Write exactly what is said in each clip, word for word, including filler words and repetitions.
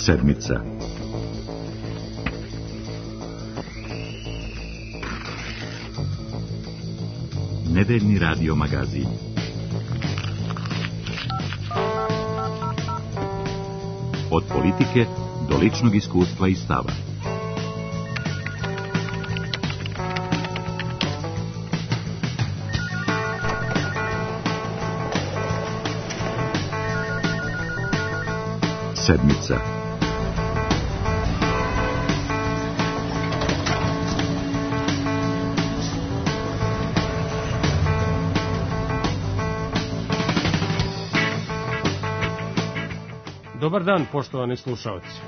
Sedmica. Nedeljni radio magazin. Od politike do ličnog iskustva i stava. Sedmica. Dobar dan, poštovani slušalci.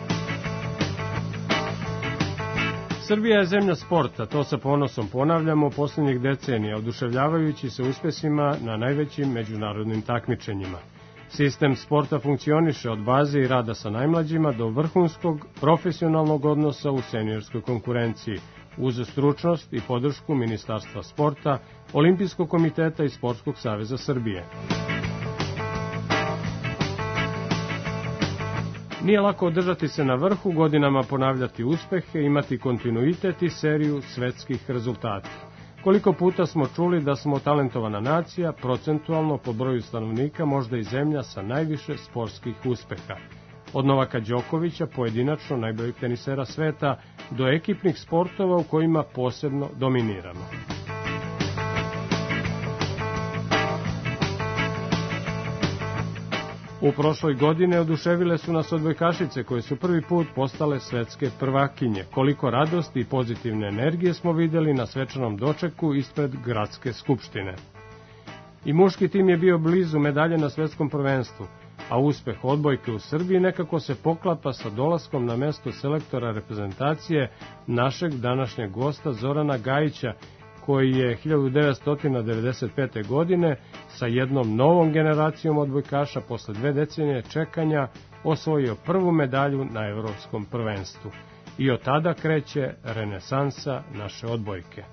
Srbija je zemlja sporta, to sa ponosom ponavljamo posljednjih decenija, oduševljavajući se uspesima na najvećim međunarodnim takmičenjima. Sistem sporta funkcioniše od baze i rada sa najmlađima do vrhunskog profesionalnog odnosa u seniorskoj konkurenciji, uz stručnost i podršku Ministarstva sporta, Olimpijskog komiteta i Sportskog saveza Srbije. Nije lako održati se na vrhu, godinama ponavljati uspehe, imati kontinuitet i seriju svetskih rezultata. Koliko puta smo čuli da smo talentovana nacija, procentualno po broju stanovnika možda i zemlja sa najviše sportskih uspeha. Od Novaka Đokovića, pojedinačno najboljeg tenisera sveta, do ekipnih sportova u kojima posebno dominiramo. U prošloj godine oduševile su nas odbojkašice koje su prvi put postale svetske prvakinje. Koliko radosti i pozitivne energije smo vidjeli na svečanom dočeku ispred Gradske skupštine. I muški tim je bio blizu medalje na svetskom prvenstvu, a uspeh odbojke u Srbiji nekako se poklapa sa dolaskom na mesto selektora reprezentacije našeg današnjeg gosta Zorana Gajića, koji je hiljadu devetsto devedeset pete. godine sa jednom novom generacijom odbojkaša posle dve decenije čekanja osvojio prvu medalju na evropskom prvenstvu. I od tada kreće renesansa naše odbojke.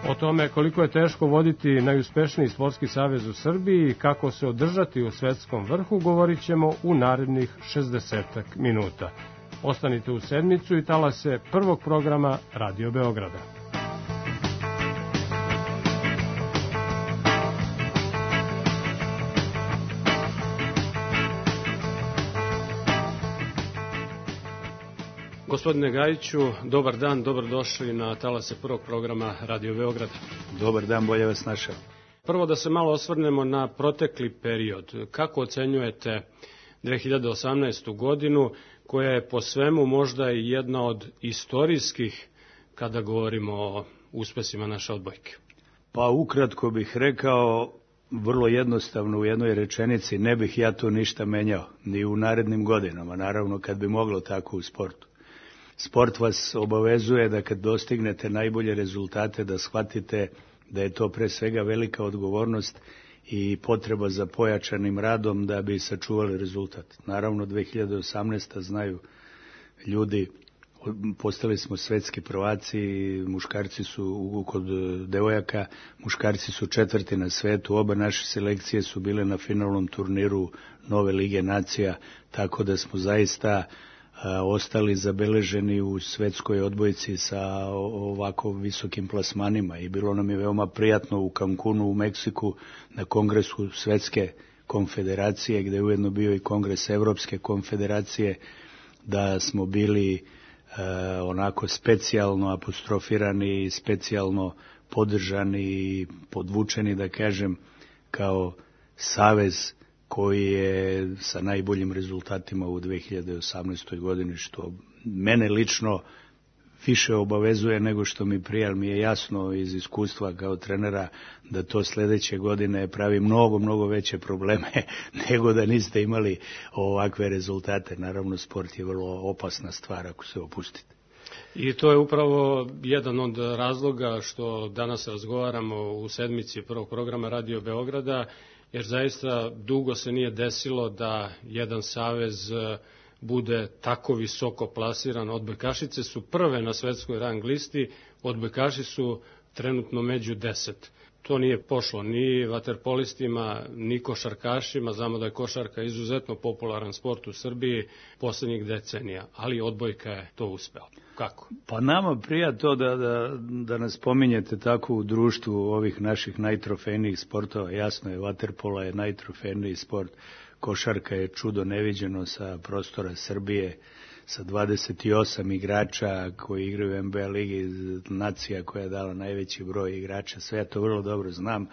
O tome koliko je teško voditi najuspešniji sportski savez u Srbiji i kako se održati u svetskom vrhu govorit ćemo u narednih šezdesetak minuta. Ostanite u sedmicu i talase prvog programa Radio Beograda. Gospodine Gajiću, dobar dan, dobrodošli na talase prvog programa Radio Beograda. Dobar dan, bolje vas našao. Prvo da se malo osvrnemo na protekli period. Kako ocenjujete dve hiljade osamnaestu. godinu, koja je po svemu možda i jedna od istorijskih kada govorimo o uspesima naše odbojke? Pa ukratko bih rekao, vrlo jednostavno u jednoj rečenici, ne bih ja to ništa menjao, ni u narednim godinama, naravno kad bi moglo tako u sportu. Sport vas obavezuje da kad dostignete najbolje rezultate da shvatite da je to pre svega velika odgovornost i potreba za pojačanim radom da bi sačuvali rezultat. Naravno, dve hiljade osamnaeste. znaju ljudi, postali smo svetski prvaci, muškarci su kod devojaka, muškarci su četvrti na svetu, oba naše selekcije su bile na finalnom turniru Nove lige nacija, tako da smo zaista a, ostali zabeleženi u svetskoj odbojci sa ovako visokim plasmanima i bilo nam je veoma prijatno u Cancunu u Meksiku na kongresu Svetske konfederacije, gde je ujedno bio i kongres Evropske konfederacije, da smo bili e, onako specijalno apostrofirani, specijalno podržani i podvučeni, da kažem, kao savez koji je sa najboljim rezultatima u dve hiljade osamnaestoj. godini, što mene lično više obavezuje nego što mi prija, ali mi je jasno iz iskustva kao trenera da to sledeće godine pravi mnogo, mnogo veće probleme nego da niste imali ovakve rezultate. Naravno, sport je vrlo opasna stvar ako se opustite. I to je upravo jedan od razloga što danas razgovaramo u sedmici prvog programa Radio Beograda, jer zaista dugo se nije desilo da jedan savez bude tako visoko plasiran. Odbojkašice su prve na svetskoj rang listi, odbojkaši su trenutno među deset. To nije pošlo ni vaterpolistima, ni košarkašima. Znamo da je košarka izuzetno popularan sport u Srbiji poslednjih decenija, ali odbojka je to uspela. Kako? Pa nama prija to da, da, da nas pominjete tako u društvu ovih naših najtrofejnijih sportova. Jasno je, vaterpola je najtrofejniji sport, košarka je čudo neviđeno sa prostora Srbije, sa dvadeset osam igrača koji igraju u N B A ligi, nacija koja je dala najveći broj igrača, sve ja to vrlo dobro znam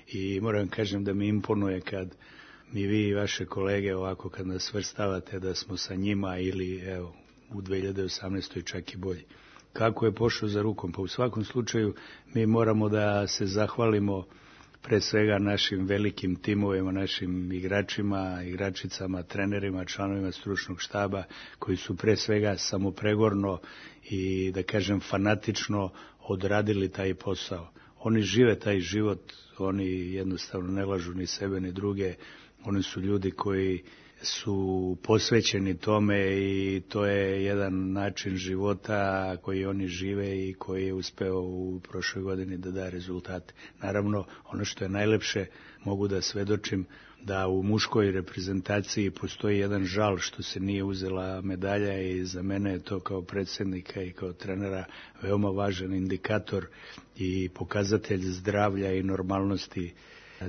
i moram kažem da mi imponuje kad mi vi i vaše kolege ovako kad nas svrstavate da smo sa njima ili evo u dve hiljade osamnaestoj čak i bolji. Kako je pošlo za rukom? Pa u svakom slučaju mi moramo da se zahvalimo pre svega našim velikim timovima, našim igračima, igračicama, trenerima, članovima stručnog štaba koji su pre svega samopregorno i da kažem fanatično odradili taj posao. Oni žive taj život, oni jednostavno ne lažu ni sebe ni druge, oni su ljudi koji su posvećeni tome i to je jedan način života koji oni žive i koji je uspeo u prošloj godini da da rezultate. Naravno, ono što je najlepše, mogu da svedočim da u muškoj reprezentaciji postoji jedan žal što se nije uzela medalja i za mene je to kao predsjednika i kao trenera veoma važan indikator i pokazatelj zdravlja i normalnosti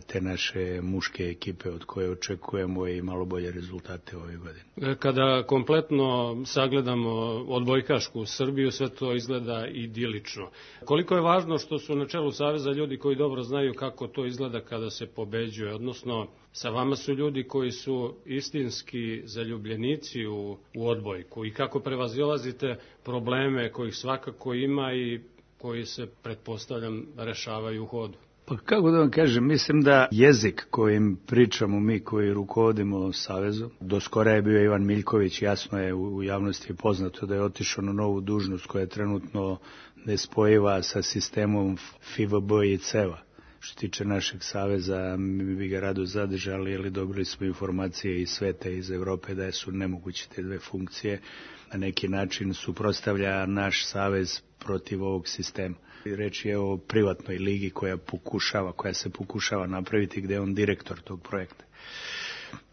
te naše muške ekipe od koje očekujemo i malo bolje rezultate ove godine. Kada kompletno sagledamo odbojkašku Srbiju, sve to izgleda idilično. Koliko je važno što su na čelu Saveza ljudi koji dobro znaju kako to izgleda kada se pobeđuje, odnosno sa vama su ljudi koji su istinski zaljubljenici u, u odbojku i kako prevazilazite probleme kojih svakako ima i koji se, pretpostavljam, rešavaju u hodu. Pa kako da vam kažem, mislim da jezik kojim pričamo mi koji rukovodimo Savezom, do skora je bio Ivan Miljković, jasno je u javnosti je poznato da je otišao na novu dužnost koja je trenutno nespojiva sa sistemom F I V B i C E V A. Što se tiče našeg Saveza, mi bi ga rado zadržali, ali dobili smo informacije iz sveta, iz Evrope, da su nemoguće te dve funkcije. Na neki način suprotstavlja naš Savez protiv ovog sistema. Reč je o privatnoj ligi koja pokušava, koja se pokušava napraviti, gde je on direktor tog projekta.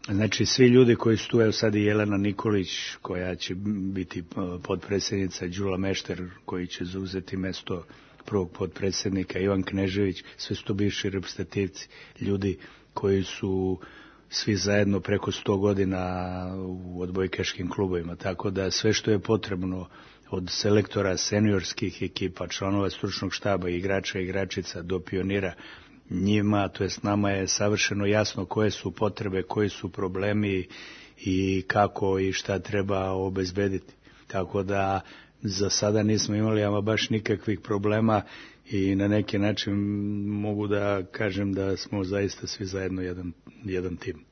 Znači, svi ljudi koji su tu, evo sad i Jelena Nikolić, koja će biti potpredsjednica, Đula Mešter, koji će zauzeti mesto prvog potpredsjednika, Ivan Knežević, sve su to bivši reprezentativci, ljudi koji su svi zajedno preko sto godina u odbojkaškim klubovima, tako da sve što je potrebno od selektora seniorskih ekipa, članova stručnog štaba, igrača i igračica do pionira, njima, to jest nama je savršeno jasno koje su potrebe, koji su problemi i kako i šta treba obezbediti. Tako da za sada nismo imali ama baš nikakvih problema i na neki način mogu da kažem da smo zaista svi zajedno jedan, jedan tim.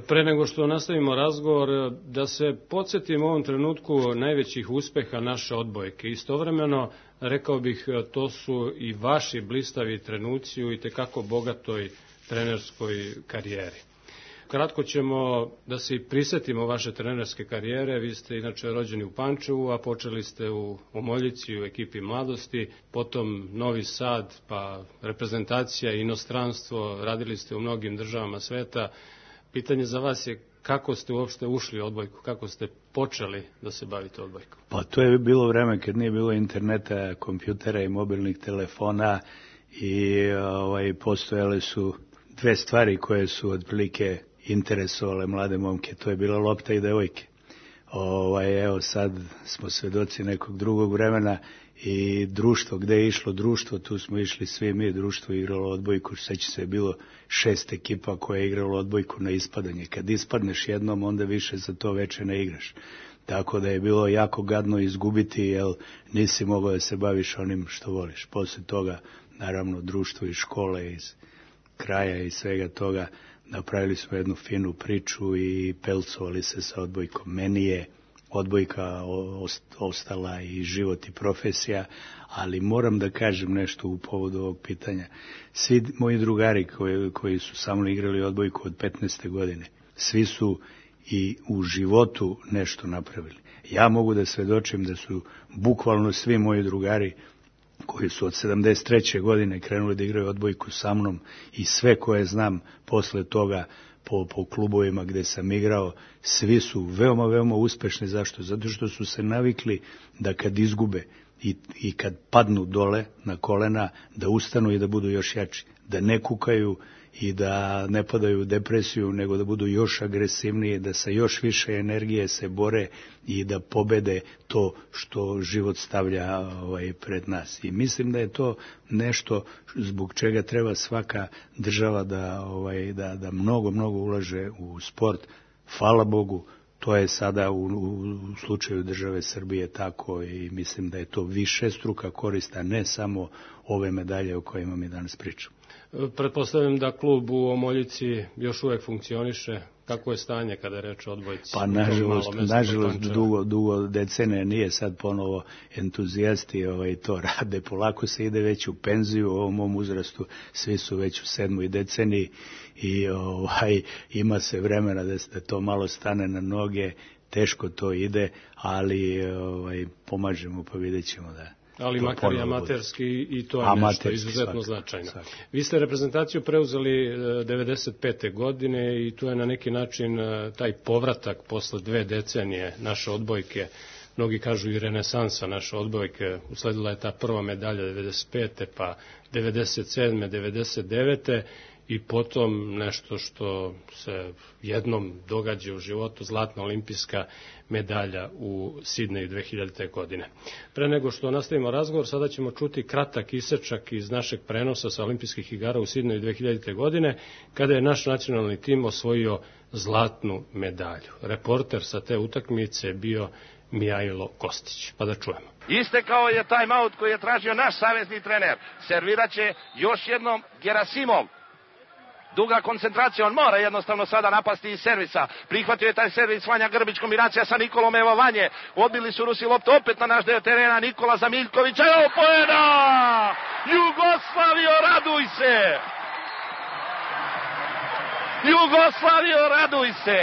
Pre nego što nastavimo razgovor, da se podsjetimo u ovom trenutku najvećih uspeha naše odbojke. Istovremeno, rekao bih, to su i vaši blistavi trenuci u itekako bogatoj trenerskoj karijeri. Kratko ćemo da se prisetimo vaše trenerske karijere. Vi ste inače rođeni u Pančevu, a počeli ste u Omoljici u ekipi mladosti, potom Novi Sad, pa reprezentacija i inostranstvo, radili ste u mnogim državama sveta. Pitanje za vas je kako ste uopšte ušli u odbojku, kako ste počeli da se bavite odbojkom? Pa to je bilo vreme kad nije bilo interneta, kompjutera i mobilnih telefona i ovaj, postojale su dve stvari koje su otprilike interesovale mlade momke, to je bila lopta i devojke. Ovaj, evo sad smo svedoci nekog drugog vremena i društvo, gde je išlo društvo, tu smo išli svi mi, društvo je igralo odbojku, seća se je bilo šest ekipa koje je igralo odbojku na ispadanje. Kad ispadneš jednom, onda više za to veče ne igraš. Tako da je bilo jako gadno izgubiti, jer nisi mogao da se baviš onim što voliš. Posle toga, naravno, društvo iz škole, iz kraja i svega toga, napravili smo jednu finu priču i pelcovali se sa odbojkom. Meni je odbojka ostala i život i profesija, ali moram da kažem nešto u povodu ovog pitanja. Svi moji drugari koji, koji su sa mnom igrali odbojku od petnaeste godine, svi su i u životu nešto napravili. Ja mogu da svedočim da su bukvalno svi moji drugari koji su od sedamdeset treće godine krenuli da igraju odbojku sa mnom i sve koje znam posle toga po, po klubovima gde sam igrao, svi su veoma, veoma uspešni. Zašto? Zato što su se navikli da kad izgube i, i kad padnu dole na kolena, da ustanu i da budu još jači, da ne kukaju i da ne padaju u depresiju, nego da budu još agresivniji, da sa još više energije se bore i da pobede to što život stavlja ovaj, pred nas. I mislim da je to nešto zbog čega treba svaka država da, ovaj, da, da mnogo, mnogo ulaže u sport. Hvala Bogu, to je sada u, u slučaju države Srbije tako i mislim da je to višestruka korist, a ne samo ove medalje o kojima mi danas pričamo. Pretpostavljam da klub u Omoljici još uvek funkcioniše. Kako je stanje kada je reč o odbojci? Pa nažalost, nažalost dugo, dugo decenije nije sad ponovo entuzijasti ovaj, to rade. Polako se ide već u penziju, u ovom mom uzrastu svi su već u sedmoj deceniji i ovaj, ima se vremena da, da to malo stane na noge. Teško to ide, ali ovaj, pomažemo pa vidjet ćemo da... Ali makar i amaterski i to je nešto izuzetno značajno. Vi ste reprezentaciju preuzeli devedeset pete godine i tu je na neki način taj povratak posle dve decenije naše odbojke, mnogi kažu i renesansa naše odbojke, usledila je ta prva medalja devedeset pete pa devedeset sedme devedeset devete i potom nešto što se jednom događa u životu, zlatna olimpijska medalja u Sidneju dve hiljadite. godine. Pre nego što nastavimo razgovor, sada ćemo čuti kratak isečak iz našeg prenosa sa olimpijskih igara u Sidneju dve hiljadite. godine, kada je naš nacionalni tim osvojio zlatnu medalju. Reporter sa te utakmice je bio Mijajlo Kostić. Pa da čujemo. Istekao je time-out koji je tražio naš savezni trener. Serviraće još jednom Gerasimov. Duga koncentracija, on mora jednostavno sada napasti iz servisa. Prihvatio je taj servis Vanja Grbić, kombinacija sa Nikolom, evo Vanje. Odbili su Rusi loptu opet na naš deo terena, Nikola za Miljkovića, evo poena! Jugoslavio, raduj se! Jugoslavio, raduj se!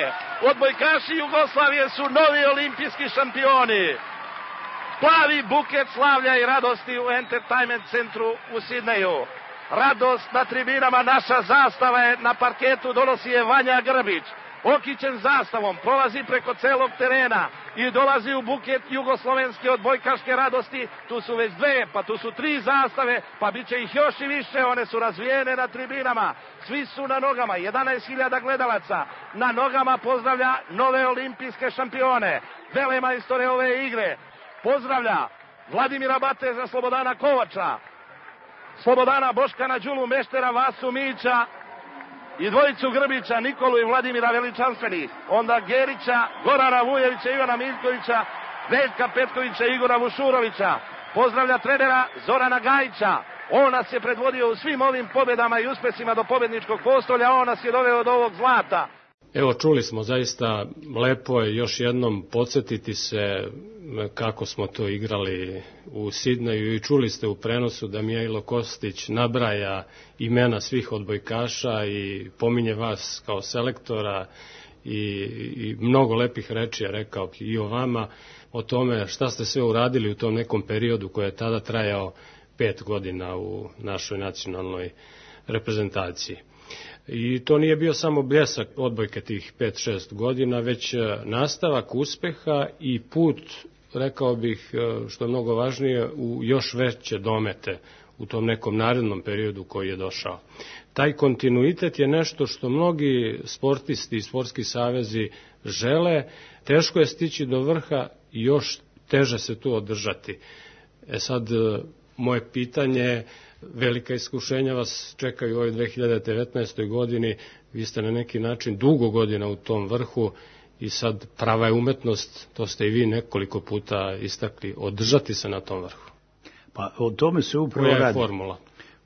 Odbojkaši Jugoslavije su novi olimpijski šampioni. Plavi buket slavlja i radosti u Entertainment centru u Sidneju. Radost na tribinama, naša zastava je na parketu, donosi je Vanja Grbić. Okićen zastavom, prolazi preko celog terena i dolazi u buket jugoslovenske odbojkaške radosti. Tu su već dve, pa tu su tri zastave, pa bit će ih još i više, one su razvijene na tribinama. Svi su na nogama, jedanaest hiljada gledalaca na nogama pozdravlja nove olimpijske šampione, velemajstore ove igre. Pozdravlja Vladimira Bateza, Slobodana Kovača, Slobodana Boškana Đulu, Meštera, Vasu Mića i dvojicu Grbića, Nikolu i Vladimira veličanstveni. Onda Gerića, Gorana Vujevića, Ivana Miljkovića, Veljka Petkovića, Igora Vušurovića. Pozdravlja trenera Zorana Gajića. On nas je predvodio u svim ovim pobedama i uspesima do pobedničkog postolja. On nas je doveo do ovog zlata. Evo, čuli smo, zaista lepo je još jednom podsjetiti se kako smo to igrali u Sidneju i čuli ste u prenosu da Mijajlo Kostić nabraja imena svih odbojkaša i pominje vas kao selektora i, i mnogo lepih reči je rekao i o vama, o tome šta ste sve uradili u tom nekom periodu koji je tada trajao pet godina u našoj nacionalnoj reprezentaciji. I to nije bio samo bljesak odbojke tih pet šest godina, već nastavak uspeha i put, rekao bih, što je mnogo važnije, u još veće domete u tom nekom narednom periodu koji je došao. Taj kontinuitet je nešto što mnogi sportisti i sportski savezi žele, teško je stići do vrha i još teže se tu održati. E sad, moje pitanje, velika iskušenja vas čekaju u ovoj dve hiljade devetnaestoj. godini, vi ste na neki način dugo godina u tom vrhu i sad prava je umetnost, to ste i vi nekoliko puta istakli, održati se na tom vrhu. Pa o tome se upravo Koja je radi. formula?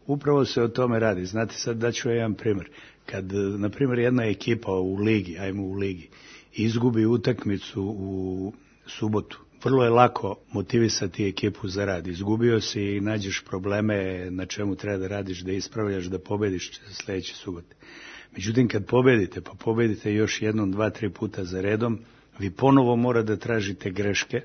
Upravo se o tome radi. Znate, sad daću jedan primjer. Kad, na primjer, jedna ekipa u ligi, ajmo u ligi, izgubi utakmicu u subotu, vrlo je lako motivisati ekipu za rad. Izgubio si i nađeš probleme na čemu treba da radiš, da ispravljaš, da pobediš sledeće subote. Međutim, kad pobedite, pa pobedite još jednom, dva, tri puta za redom, vi ponovo mora da tražite greške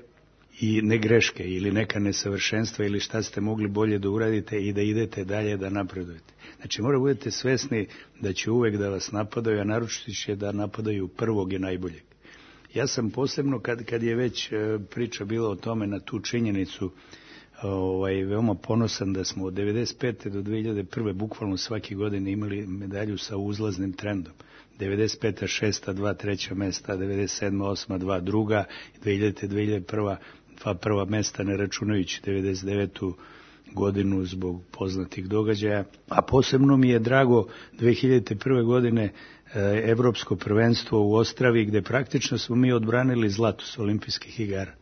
i ne greške ili neka nesavršenstva ili šta ste mogli bolje da uradite i da idete dalje da napredujete. Znači mora budete svesni da će uvek da vas napadaju, a naročito će da napadaju prvog i najboljeg. Ja sam posebno, kad, kad je već priča bila o tome na tu činjenicu, ovaj, veoma ponosan da smo od devedeset pete do dve hiljade prve bukvalno svake godine imali medalju sa uzlaznim trendom. devedeset peta šesta dva treća mesta, devedeset sedma osma dva druga, dve hiljadite dve hiljade prva dva prva mesta, ne računajući devedeset devetu godinu zbog poznatih događaja. A posebno mi je drago dve hiljadite prve godine evropsko prvenstvo u Ostravi, gde praktično smo mi odbranili zlato s olimpijskih igara.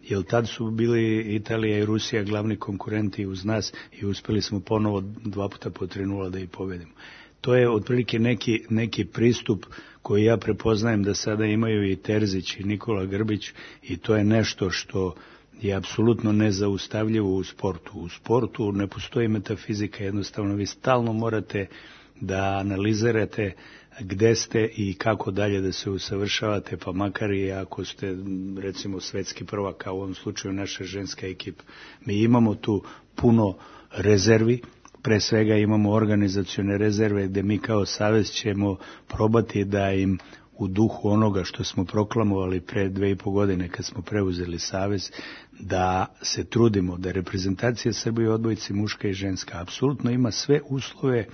Jer tad su bili Italija i Rusija glavni konkurenti uz nas i uspeli smo ponovo dva puta po tri nula da ih pobedimo. To je otprilike neki, neki pristup koji ja prepoznajem da sada imaju i Terzić i Nikola Grbić i to je nešto što je apsolutno nezaustavljivo u sportu. U sportu ne postoji metafizika, jednostavno vi stalno morate da analizirate gde ste i kako dalje da se usavršavate, pa makar i ako ste recimo svetski prvak, kao u ovom slučaju naša ženska ekipa. Mi imamo tu puno rezervi, pre svega imamo organizacione rezerve gde mi kao savez ćemo probati da im u duhu onoga što smo proklamovali pre dve i po godine kad smo preuzeli savez, da se trudimo da reprezentacija Srbije u odbojci muška i ženska apsolutno ima sve uslove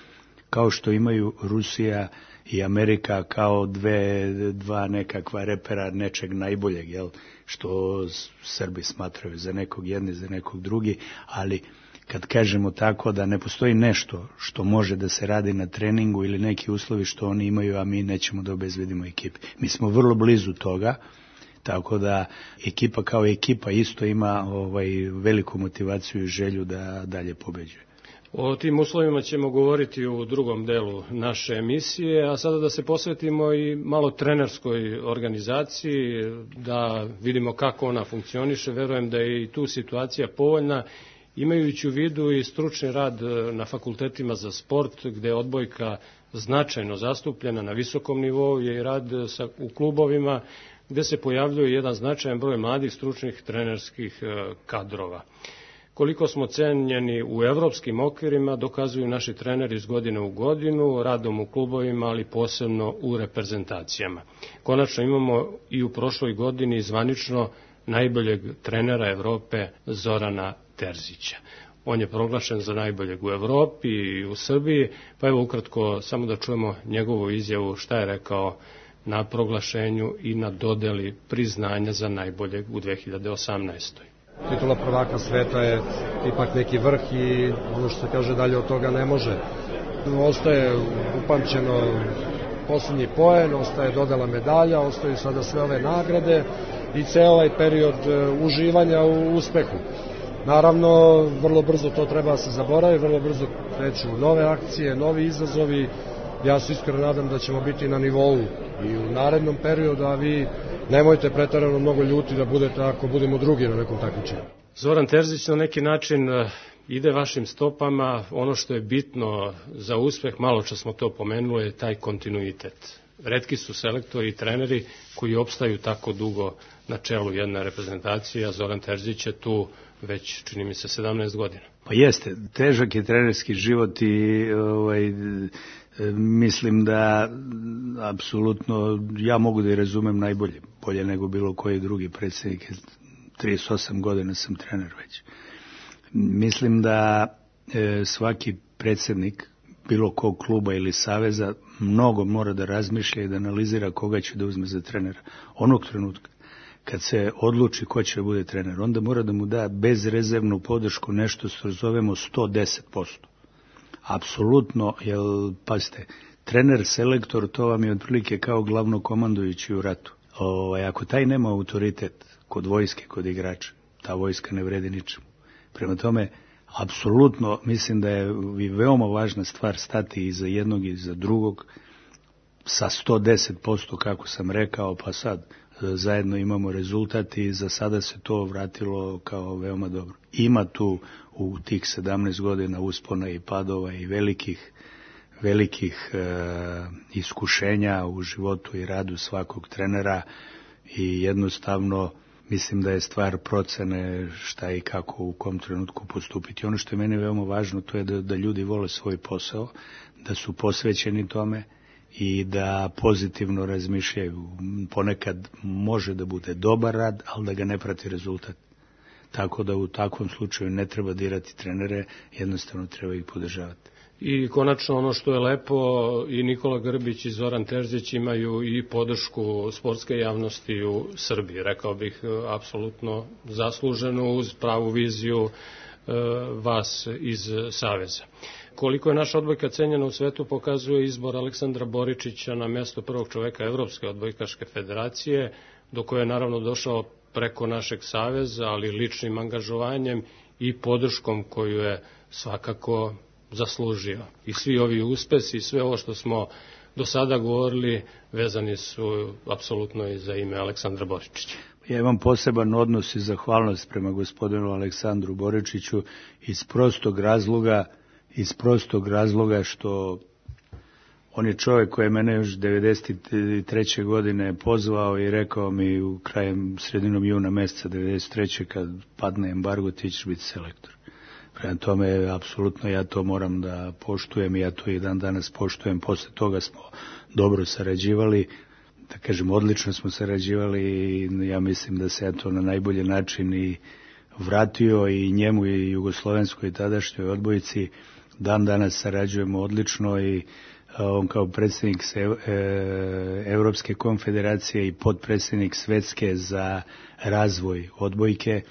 kao što imaju Rusija i Amerika kao dve, dva nekakva repera nečeg najboljeg, jel? Što Srbi smatraju za nekog jedni, za nekog drugi, ali kad kažemo tako da ne postoji nešto što može da se radi na treningu ili neki uslovi što oni imaju, a mi nećemo da obezbedimo ekipi. Mi smo vrlo blizu toga, tako da ekipa kao ekipa isto ima ovaj, veliku motivaciju i želju da dalje pobeđuje. O tim uslovima ćemo govoriti u drugom delu naše emisije, a sada da se posvetimo i malo trenerskoj organizaciji, da vidimo kako ona funkcioniše. Verujem da je i tu situacija povoljna, imajući u vidu i stručni rad na fakultetima za sport, gde je odbojka značajno zastupljena na visokom nivou, je i rad sa, u klubovima, gde se pojavljuje jedan značajan broj mladih stručnih trenerskih kadrova. Koliko smo cenjeni u evropskim okvirima dokazuju naši treneri iz godine u godinu, radom u klubovima, ali posebno u reprezentacijama. Konačno imamo i u prošloj godini zvanično najboljeg trenera Evrope Zorana Terzića. On je proglašen za najboljeg u Evropi i u Srbiji, pa evo ukratko samo da čujemo njegovu izjavu šta je rekao na proglašenju i na dodeli priznanja za najboljeg u dve hiljade osamnaestoj. Titula prvaka sveta je ipak neki vrh i ono što se kaže dalje od toga ne može. Ostaje upamćeno posljednji poen, ostaje dodela medalja, ostaju sada sve ove nagrade i ceo ovaj period uživanja u uspehu. Naravno, vrlo brzo to treba se zaboravi, vrlo brzo kreću nove akcije, novi izazovi. Ja se iskreno nadam da ćemo biti na nivou i u narednom periodu, a vi nemojte pretarano mnogo ljuti da budete ako budemo drugi na nekom takmičenju. Zoran Terzić na neki način ide vašim stopama. Ono što je bitno za uspeh, malo čas smo to pomenuli, je taj kontinuitet. Retki su selektori i treneri koji opstaju tako dugo na čelu jedne reprezentacije, a Zoran Terzić je tu već, čini mi se, sedamnaest godina. Pa jeste, težak je trenerski život i ovaj, mislim da apsolutno ja mogu da i razumem najbolje, bolje nego bilo koji drugi predsjednik. trideset osam godina sam trener već. Mislim da e, svaki predsjednik bilo kog kluba ili saveza mnogo mora da razmišlja i da analizira koga će da uzme za trenera. Onog trenutka kad se odluči ko će da bude trener, onda mora da mu da bezrezervnu podršku, nešto što zovemo sto deset posto. Apsolutno, jer, pazite, trener, selektor, to vam je otprilike kao glavno komandujući u ratu. O, ako taj nema autoritet kod vojske, kod igrača, ta vojska ne vredi ničemu. Prema tome, apsolutno mislim da je veoma važna stvar stati iza jednog i za drugog sa sto deset posto, kako sam rekao, pa sad zajedno imamo rezultat i za sada se to vratilo kao veoma dobro. Ima tu u tih sedamnaest godina uspona i padova i velikih, velikih e, iskušenja u životu i radu svakog trenera i jednostavno mislim da je stvar procene šta i kako u kom trenutku postupiti. Ono što je meni veoma važno, to je da, da ljudi vole svoj posao, da su posvećeni tome i da pozitivno razmišljaju. Ponekad može da bude dobar rad, ali da ga ne prati rezultat. Tako da u takvom slučaju ne treba dirati trenere, jednostavno treba ih podržavati. I konačno ono što je lepo, i Nikola Grbić i Zoran Terzić imaju i podršku sportske javnosti u Srbiji. Rekao bih, apsolutno zasluženu uz pravu viziju e, vas iz Saveza. Koliko je naša odbojka cenjena u svetu pokazuje izbor Aleksandra Boričića na mesto prvog čoveka Evropske odbojkaške federacije, do koje je naravno došao preko našeg saveza, ali ličnim angažovanjem i podrškom koju je svakako zaslužio. I svi ovi uspesi i sve ovo što smo do sada govorili vezani su apsolutno i za ime Aleksandra Boričića. Ja imam poseban odnos i zahvalnost prema gospodinu Aleksandru Boričiću iz prostog razloga, iz prostog razloga što on je čovjek koji je mene još devedeset treće godine pozvao i rekao mi u krajem sredinom juna mjeseca devedeset treće kad padne embargo ti ćeš biti selektor. Prema tome, apsolutno ja to moram da poštujem i ja to i dan danas poštujem. Posle toga smo dobro sarađivali, da kažem odlično smo sarađivali i ja mislim da se ja to na najbolji način i vratio i njemu i jugoslovenskoj i tadašnjoj odbojici. Dan danas sarađujemo odlično i on kao predsjednik Evropske konfederacije i potpredsjednik Svetske za razvoj odbojke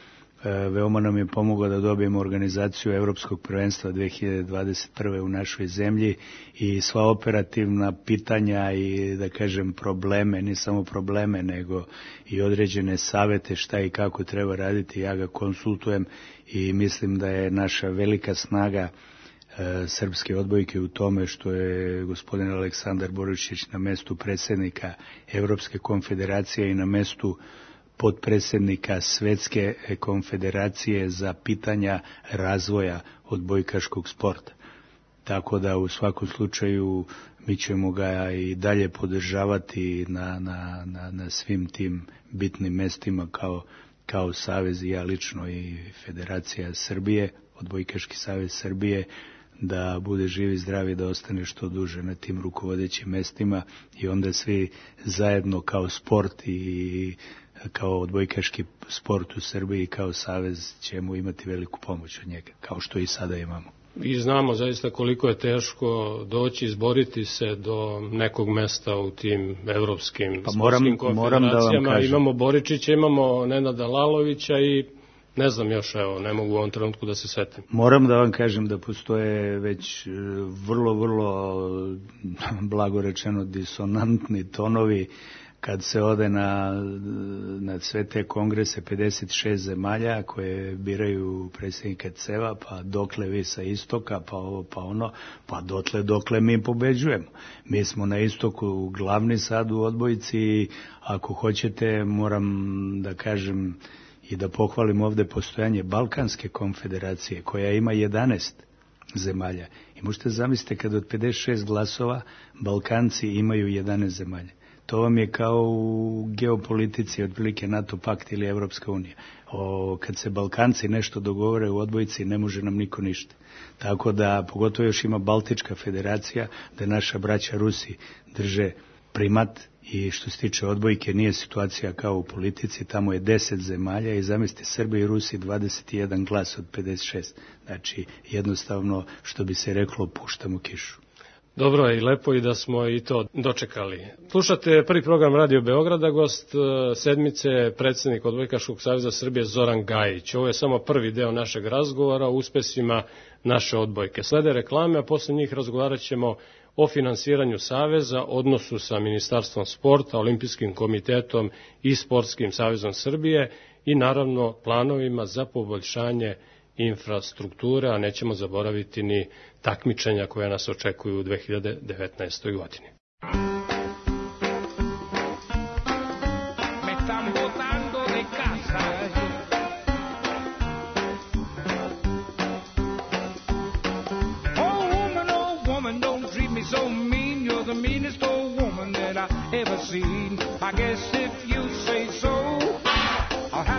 veoma nam je pomogao da dobijemo organizaciju Evropskog prvenstva dve hiljade dvadeset prve u našoj zemlji i sva operativna pitanja i da kažem probleme, ne samo probleme nego i određene savete šta i kako treba raditi, ja ga konsultujem i mislim da je naša velika snaga srpske odbojke u tome što je gospodin Aleksandar Boričić na mestu predsjednika Evropske konfederacije i na mestu potpredsjednika Svetske konfederacije za pitanja razvoja odbojkaškog sporta. Tako da u svakom slučaju mi ćemo ga i dalje podržavati na, na, na, na svim tim bitnim mestima kao, kao savez i ja lično i Federacija Srbije, Odbojkaški savez Srbije, da bude živ i zdrav i da ostane što duže na tim rukovodećim mestima i onda svi zajedno kao sport i kao odbojkaški sport u Srbiji i kao savez ćemo imati veliku pomoć od njega, kao što i sada imamo. I znamo zaista koliko je teško doći, izboriti se do nekog mesta u tim evropskim pa moram, sportskim konfederacijama. Da imamo Boričića, imamo Nenada Lalovića i ne znam još, evo, ne mogu u ovom trenutku da se setim. Moram da vam kažem da postoje već vrlo, vrlo, blago rečeno, disonantni tonovi kad se ode na, na sve te kongrese pedeset šest zemalja koje biraju predsjednika C E V A, pa dokle vi sa istoka, pa ovo, pa ono, pa dotle dokle mi pobeđujemo. Mi smo na istoku glavni sad u odbojci i ako hoćete moram da kažem i da pohvalim ovde postojanje Balkanske konfederacije koja ima jedanaest zemalja. I možete zamisliti kad od pedeset šest glasova Balkanci imaju jedanaest zemalja. To vam je kao u geopolitici, otprilike NATO pakt ili Evropska unija. O, kad se Balkanci nešto dogovore u odbojci, ne može nam niko ništa. Tako da, pogotovo još ima Baltička federacija, da naša braća Rusi drže primat i što se tiče odbojke nije situacija kao u politici, tamo je deset zemalja i zamislite Srbi i Rusi dvadeset jedan glas od pedeset šest. Znači, jednostavno, što bi se reklo, puštamo kišu. Dobro je i lepo i da smo i to dočekali. Slušate prvi program Radio Beograda, gost sedmice, predsjednik Odbojkaškog saveza Srbije Zoran Gajić. Ovo je samo prvi deo našeg razgovora o uspesima naše odbojke. Slede reklame, a posle njih razgovarat ćemo o finansiranju saveza, odnosu sa Ministarstvom sporta, Olimpijskim komitetom i Sportskim savezom Srbije i naravno planovima za poboljšanje infrastrukture, a nećemo zaboraviti ni takmičenja koja nas očekuju u dve hiljade devetnaestoj godini. I guess if you say so, I'll have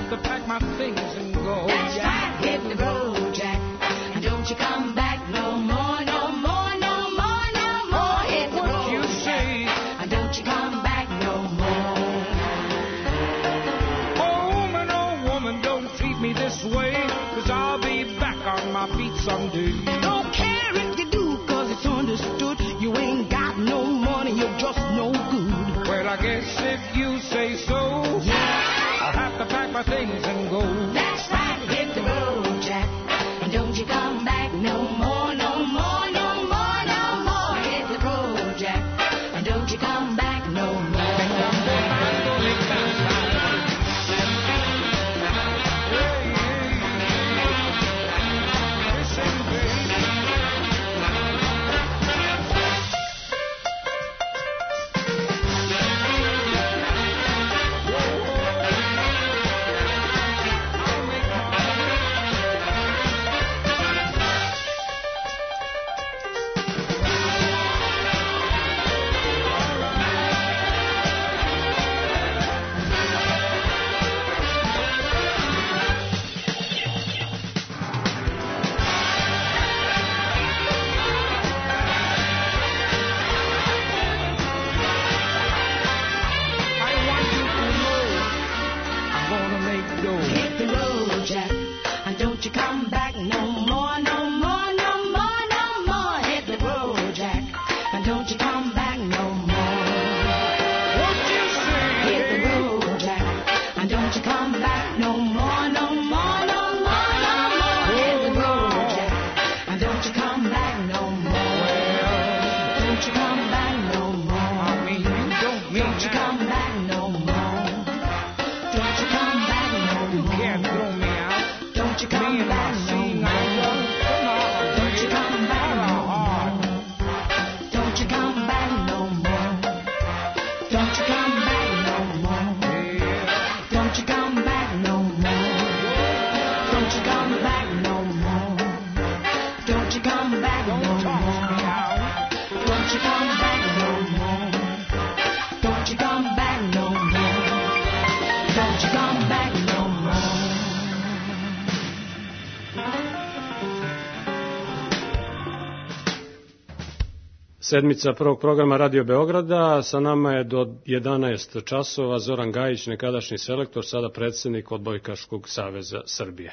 Sedmica prvog programa Radio Beograda, sa nama je do jedanaest časova Zoran Gajić, nekadašnji selektor, sada predsednik Odbojkaškog saveza Srbije.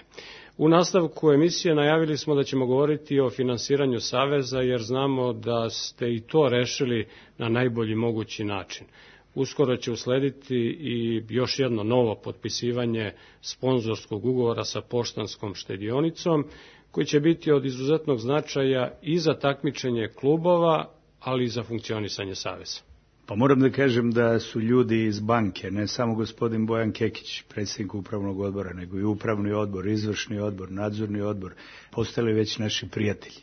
U nastavku emisije najavili smo da ćemo govoriti o finansiranju saveza, jer znamo da ste i to rešili na najbolji mogući način. Uskoro će uslediti i još jedno novo potpisivanje sponzorskog ugovora sa Poštanskom štedionicom, koji će biti od izuzetnog značaja i za takmičenje klubova, ali i za funkcionisanje saveza. Pa moram da kažem da su ljudi iz banke, ne samo gospodin Bojan Kekić, predsjednik upravnog odbora, nego i upravni odbor, izvršni odbor, nadzorni odbor, postali već naši prijatelji.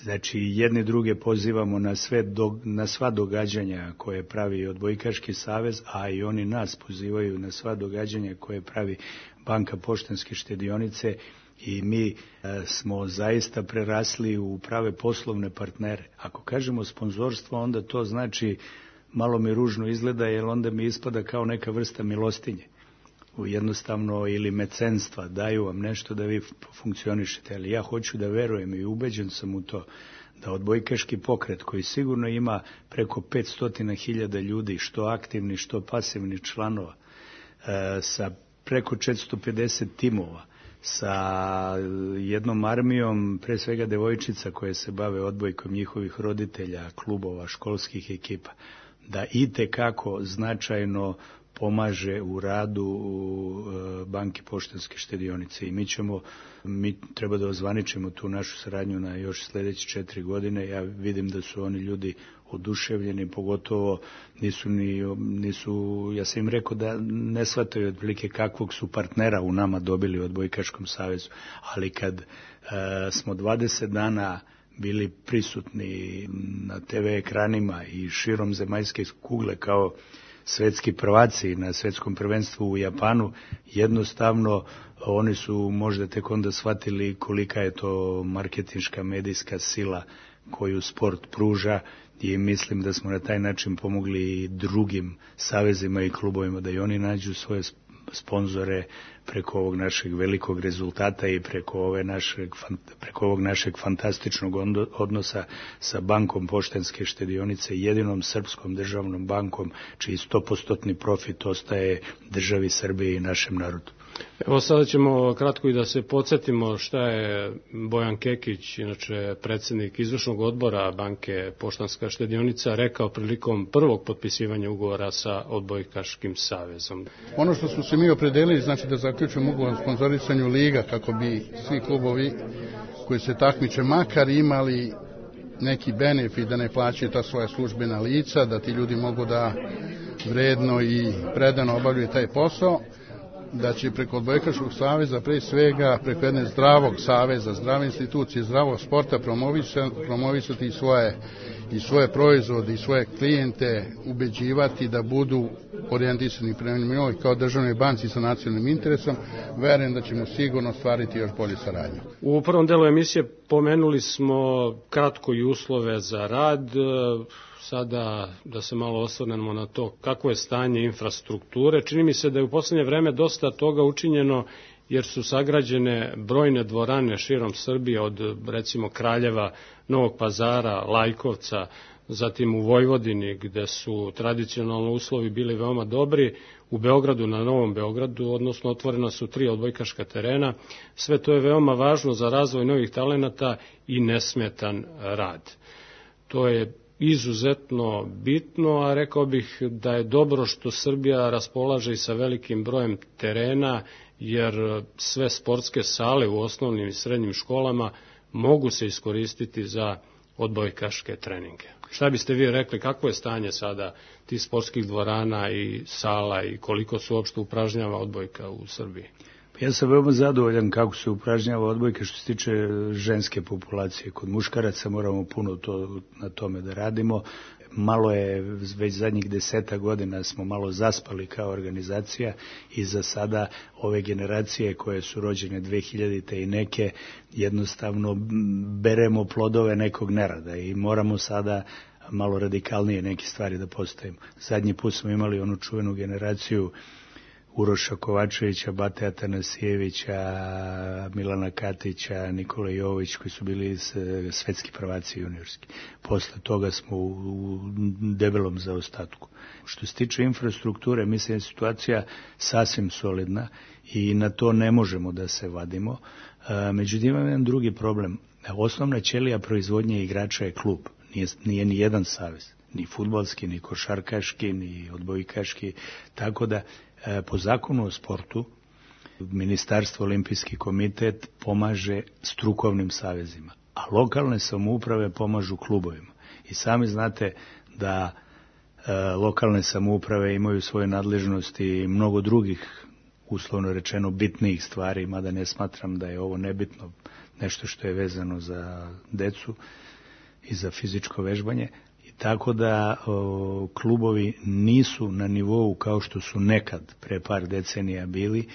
Znači, jedni druge pozivamo na, sve do, na sva događanja koje pravi Odbojkaški savez, a i oni nas pozivaju na sva događanja koje pravi Banka Poštanske štedionice, i mi e, smo zaista prerasli u prave poslovne partnere. Ako kažemo sponzorstvo, onda to znači, malo mi ružno izgleda, jer onda mi ispada kao neka vrsta milostinje. Jednostavno, ili mecenstva, daju vam nešto da vi funkcionišete. Ali ja hoću da verujem i ubeđen sam u to da Odbojkaški pokret, koji sigurno ima preko petsto hiljada ljudi, što aktivni, što pasivni članova, e, sa preko četiristo pedeset timova, sa jednom armijom, pre svega devojčica koje se bave odbojkom, njihovih roditelja, klubova, školskih ekipa, da itekako značajno pomaže u radu Banke Poštanske štedionice. I mi ćemo, mi treba da ozvaničimo tu našu saradnju na još sledeće četiri godine. Ja vidim da su oni ljudi oduševljeni, pogotovo nisu ni, nisu, ja sam im rekao da ne shvataju otprilike kakvog su partnera u nama dobili u Odbojkaškom savezu, ali kad e, smo dvadeset dana bili prisutni na te ve ekranima i širom zemaljske kugle kao svetski prvaci na svetskom prvenstvu u Japanu, jednostavno oni su možda tek onda shvatili kolika je to marketinška medijska sila koju sport pruža, i mislim da smo na taj način pomogli i drugim savezima i klubovima da i oni nađu svoje sponzore preko ovog našeg velikog rezultata i preko, ove našeg, preko ovog našeg fantastičnog odnosa sa Bankom Poštanske štedionice, jedinom srpskom državnom bankom, čiji sto posto profit ostaje državi Srbije i našem narodu. Evo sada ćemo kratko i da se podsjetimo šta je Bojan Kekić, inače predsjednik izvršnog odbora Banke Poštanska štedionica, rekao prilikom prvog potpisivanja ugovora sa Odbojkaškim savezom. Ono što smo se mi opredelili, znači da zaključujemo ugovor o sponzorisanju liga, kako bi svi klubovi koji se takmiče makar imali neki benefit, da ne plaćaju ta svoja službena lica, da ti ljudi mogu da vredno i predano obavljaju taj posao, da će preko Odbojkaškog saveza, pre svega preko jedne zdravog saveza, zdrave institucije, zdravog sporta promovisati, promovisati i svoje, i svoje proizvode i svoje klijente, ubeđivati da budu orijentisani prema njoj kao državnoj banci sa nacionalnim interesom. Verujem da ćemo sigurno stvariti još bolje saradnju. U prvom delu emisije pomenuli smo kratko i uslove za rad. Sada da se malo osvrnemo na to kako je stanje infrastrukture. Čini mi se da je u poslednje vreme dosta toga učinjeno, jer su sagrađene brojne dvorane širom Srbije, od recimo Kraljeva, Novog Pazara, Lajkovca, zatim u Vojvodini, gde su tradicionalno uslovi bili veoma dobri, u Beogradu, na Novom Beogradu, odnosno otvorena su tri odbojkaška terena. Sve to je veoma važno za razvoj novih talenata i nesmetan rad. To je izuzetno bitno, a rekao bih da je dobro što Srbija raspolaže i sa velikim brojem terena, jer sve sportske sale u osnovnim i srednjim školama mogu se iskoristiti za odbojkaške treninge. Šta biste vi rekli, kakvo je stanje sada tih sportskih dvorana i sala i koliko se uopšte upražnjava odbojka u Srbiji? Ja sam veoma zadovoljan kako se upražnjava odbojka što se tiče ženske populacije. Kod muškaraca moramo puno to, na tome da radimo. Malo je, već zadnjih deseta godina smo malo zaspali kao organizacija i za sada ove generacije koje su rođene dve hiljadite i neke jednostavno beremo plodove nekog nerada i moramo sada malo radikalnije neke stvari da postavimo. Zadnji put smo imali onu čuvenu generaciju Uroša Kovačevića, Bate Atanasijevića, Milana Katića, Nikola Jovović, koji su bili svetski prvaci juniorski. Posle toga smo u debelom zaostatku. Što se tiče infrastrukture, mislim da je situacija sasvim solidna i na to ne možemo da se vadimo. Međutim, imam jedan drugi problem. Osnovna ćelija proizvodnje igrača je klub, nije, nije ni jedan savez, ni fudbalski, ni košarkaški, ni odbojkaški, tako da po zakonu o sportu Ministarstvo olimpijski komitet pomaže strukovnim savezima, a lokalne samouprave pomažu klubovima. I sami znate da e, lokalne samouprave imaju svoje nadležnosti i mnogo drugih, uslovno rečeno, bitnijih stvari, mada ne smatram da je ovo nebitno, nešto što je vezano za decu i za fizičko vežbanje. Tako da o, klubovi nisu na nivou kao što su nekad pre par decenija bili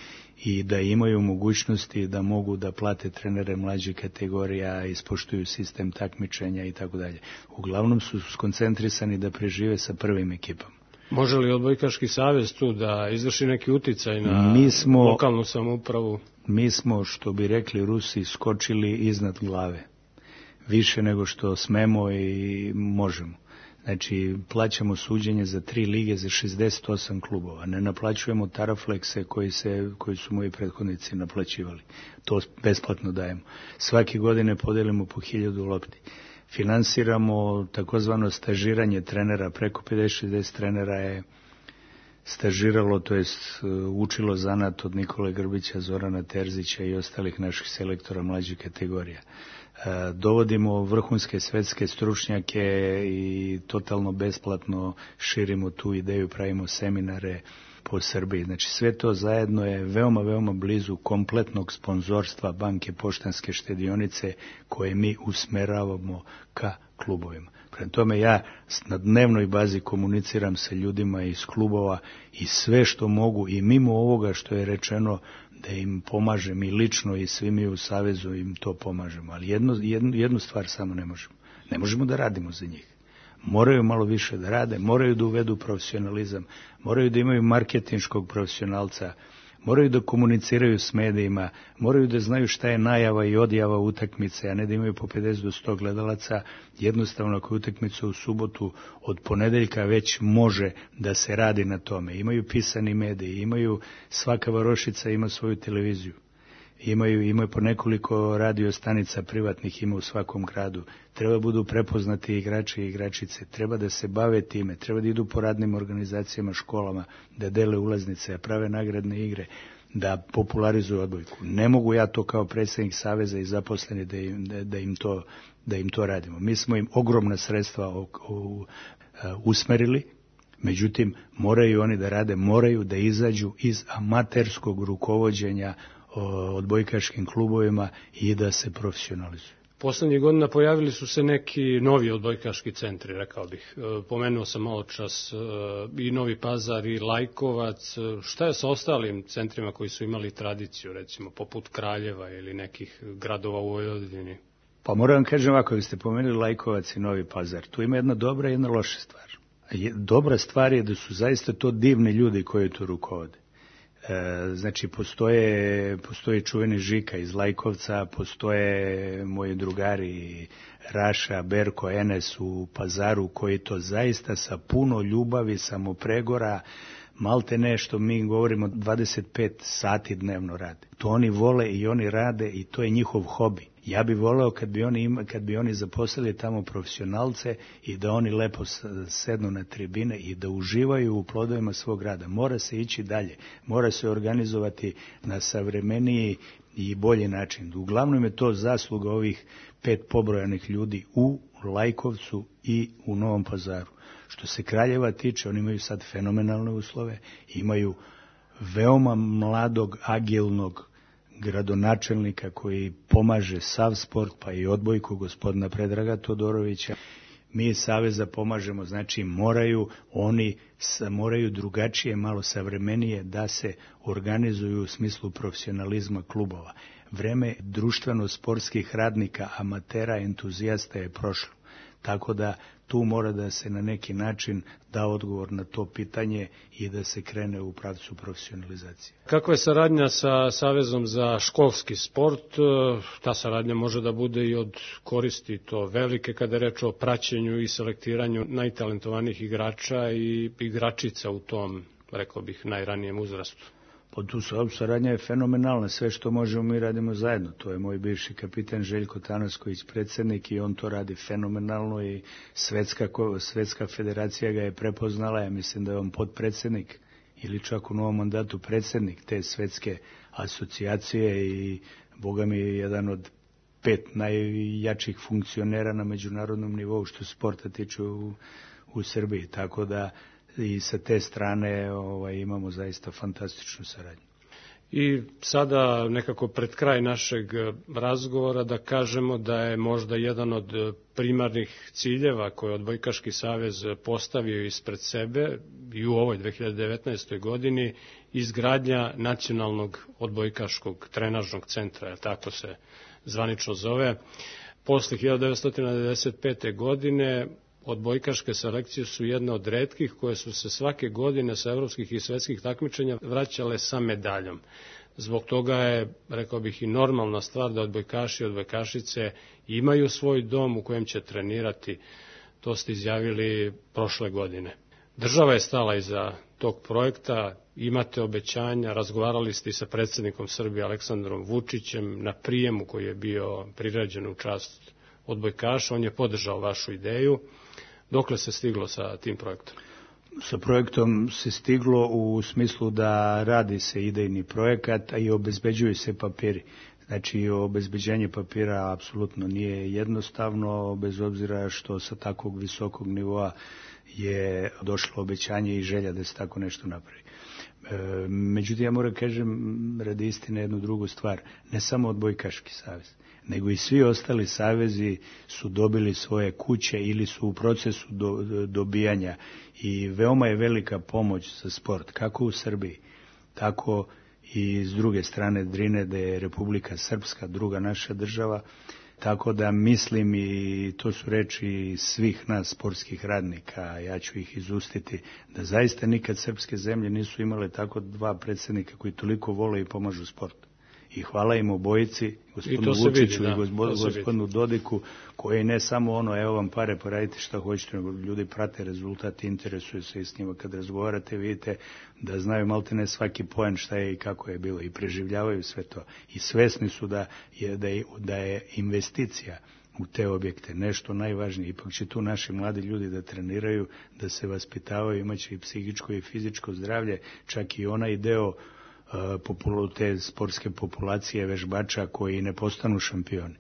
i da imaju mogućnosti da mogu da plate trenere mlađih kategorija, ispoštuju sistem takmičenja i tako dalje. Uglavnom su skoncentrisani da prežive sa prvim ekipama. Može li odbojkaški savez tu da izvrši neki uticaj na mi smo, lokalnu samoupravu? Mi smo, što bi rekli Rusi, skočili iznad glave. Više nego što smemo i možemo. Znači, plaćamo suđenje za tri lige za šezdeset osam klubova. Ne naplaćujemo taraflekse koji, se, koji su moji prethodnici naplaćivali. To besplatno dajemo. Svake godine podelimo po hiljadu lopti. Finansiramo takozvano stažiranje trenera. Preko pedeset šezdeset trenera je stažiralo, to jest učilo zanat od Nikole Grbića, Zorana Terzića i ostalih naših selektora mlađih kategorija. Dovodimo vrhunske svetske stručnjake i totalno besplatno širimo tu ideju, pravimo seminare po Srbiji. Znači sve to zajedno je veoma, veoma blizu kompletnog sponzorstva Banke Poštanske štedionice koje mi usmeravamo ka klubovima. Prema tome ja na dnevnoj bazi komuniciram sa ljudima iz klubova i sve što mogu i mimo ovoga što je rečeno da im pomažem i lično i svi mi u savezu im to pomažemo. Ali jedno, jednu, jednu stvar samo ne možemo. Ne možemo da radimo za njih. Moraju malo više da rade, moraju da uvedu profesionalizam, moraju da imaju marketinškog profesionalca, moraju da komuniciraju s medijima, moraju da znaju šta je najava i odjava utakmice, a ne da imaju po pedeset do sto gledalaca. Jednostavno, ako je utakmica u subotu, od ponedeljka već može da se radi na tome. Imaju pisani mediji, imaju, svaka varošica ima svoju televiziju. Imaju, imaju po nekoliko radio stanica privatnih, ima u svakom gradu. Treba budu prepoznati igrači i igračice, treba da se bave time, treba da idu po radnim organizacijama, školama, da dele ulaznice, prave nagradne igre, da popularizuju odbojku. Ne mogu ja to kao predsjednik saveza i zaposleni da im, da, da im, to, da im to radimo. Mi smo im ogromna sredstva o, o, usmerili, međutim moraju oni da rade, moraju da izađu iz amaterskog rukovođenja odbojkaškim klubovima i da se profesionalizuju. Poslednjih godina pojavili su se neki novi odbojkaški centri, rekao bih. Pomenuo sam malo čas i Novi Pazar i Lajkovac. Šta je sa ostalim centrima koji su imali tradiciju, recimo poput Kraljeva ili nekih gradova u Vojvodini? Pa moram vam kažem ovako, vi ste pomenuli Lajkovac i Novi Pazar. Tu ima jedna dobra i jedna loša stvar. Dobra stvar je da su zaista to divni ljudi koji tu rukovode. Znači, postoje, postoje čuveni Žika iz Lajkovca, postoje moji drugari Raša, Berko, Enes u Pazaru, koji to zaista sa puno ljubavi, samopregora, malte nešto, mi govorimo dvadeset pet sati dnevno rade. To oni vole i oni rade i to je njihov hobi. Ja bih voleo kad bi oni, ima, kad bi oni zaposlili tamo profesionalce i da oni lepo sednu na tribine i da uživaju u plodovima svog rada. Mora se ići dalje, mora se organizovati na savremeniji i bolji način. Uglavnom je to zasluga ovih pet pobrojanih ljudi u u Lajkovcu i u Novom Pazaru. Što se Kraljeva tiče, oni imaju sad fenomenalne uslove, imaju veoma mladog, agilnog gradonačelnika koji pomaže sav sport, pa i odbojku gospodina Predraga Todorovića. Mi iz Saveza pomažemo, znači moraju oni moraju drugačije, malo savremenije da se organizuju u smislu profesionalizma klubova. Vreme društveno-sportskih radnika, amatera, entuzijasta je prošlo. Tako da tu mora da se na neki način da odgovor na to pitanje i da se krene u pravcu profesionalizacije. Kakva je saradnja sa Savezom za školski sport? Ta saradnja može da bude i od koristi to velike kada je reč o praćenju i selektiranju najtalentovanijih igrača i igračica u tom, rekao bih, najranijem uzrastu. Pa tu saradnja je fenomenalna, sve što možemo mi radimo zajedno. To je moj bivši kapitan Željko Tanasković, predsjednik, i on to radi fenomenalno i svetska, svetska federacija ga je prepoznala. Ja mislim da je on potpredsjednik ili čak u novom mandatu predsjednik te svetske asocijacije i boga mi je jedan od pet najjačih funkcionera na međunarodnom nivou što sporta tiče u, u Srbiji. Tako da i sa te strane ovaj, imamo zaista fantastičnu saradnju. I sada nekako pred kraj našeg razgovora da kažemo da je možda jedan od primarnih ciljeva koje je Odbojkaški savez postavio ispred sebe i u ovoj dve hiljade devetnaestoj godini izgradnja nacionalnog odbojkaškog trenažnog centra, tako se zvanično zove. Posle hiljadu devetsto devedeset pete. godine odbojkaške selekcije su jedna od retkih koje su se svake godine sa evropskih i svetskih takmičenja vraćale sa medaljom. Zbog toga je, rekao bih, i normalna stvar da odbojkaši i odbojkašice imaju svoj dom u kojem će trenirati. To ste izjavili prošle godine. Država je stala iza tog projekta, imate obećanja, razgovarali ste i sa predsjednikom Srbije Aleksandrom Vučićem na prijemu koji je bio priređen u čast odbojkaša, on je podržao vašu ideju. Dokle se stiglo sa tim projektom? Sa projektom se stiglo u smislu da radi se idejni projekat, a i obezbeđuju se papiri. Znači, obezbeđenje papira apsolutno nije jednostavno, bez obzira što sa takvog visokog nivoa je došlo obećanje i želja da se tako nešto napravi. E, međutim, ja moram kažem radi istine jednu drugu stvar. Ne samo Odbojkaški savez, nego i svi ostali savezi su dobili svoje kuće ili su u procesu do, dobijanja i veoma je velika pomoć za sport, kako u Srbiji, tako i s druge strane Drine, da je Republika Srpska, druga naša država, tako da mislim, i to su reči svih nas sportskih radnika, ja ću ih izustiti, da zaista nikad srpske zemlje nisu imale tako dva predsjednika koji toliko vole i pomažu sportu. I hvala im obojici, gospodinu Vučiću i gospodinu Dodiku, koji ne samo ono, evo vam pare, poradite šta hoćete, nego ljudi prate rezultat, interesuju se i s njima. Kad razgovarate, vidite da znaju maltene svaki poen šta je i kako je bilo i preživljavaju sve to. I svesni su da je, da je, da je investicija u te objekte nešto najvažnije. Ipak će tu naši mladi ljudi da treniraju, da se vaspitavaju, imaće i psihičko i fizičko zdravlje, čak i onaj deo te sportske populacije vežbača koji ne postanu šampioni.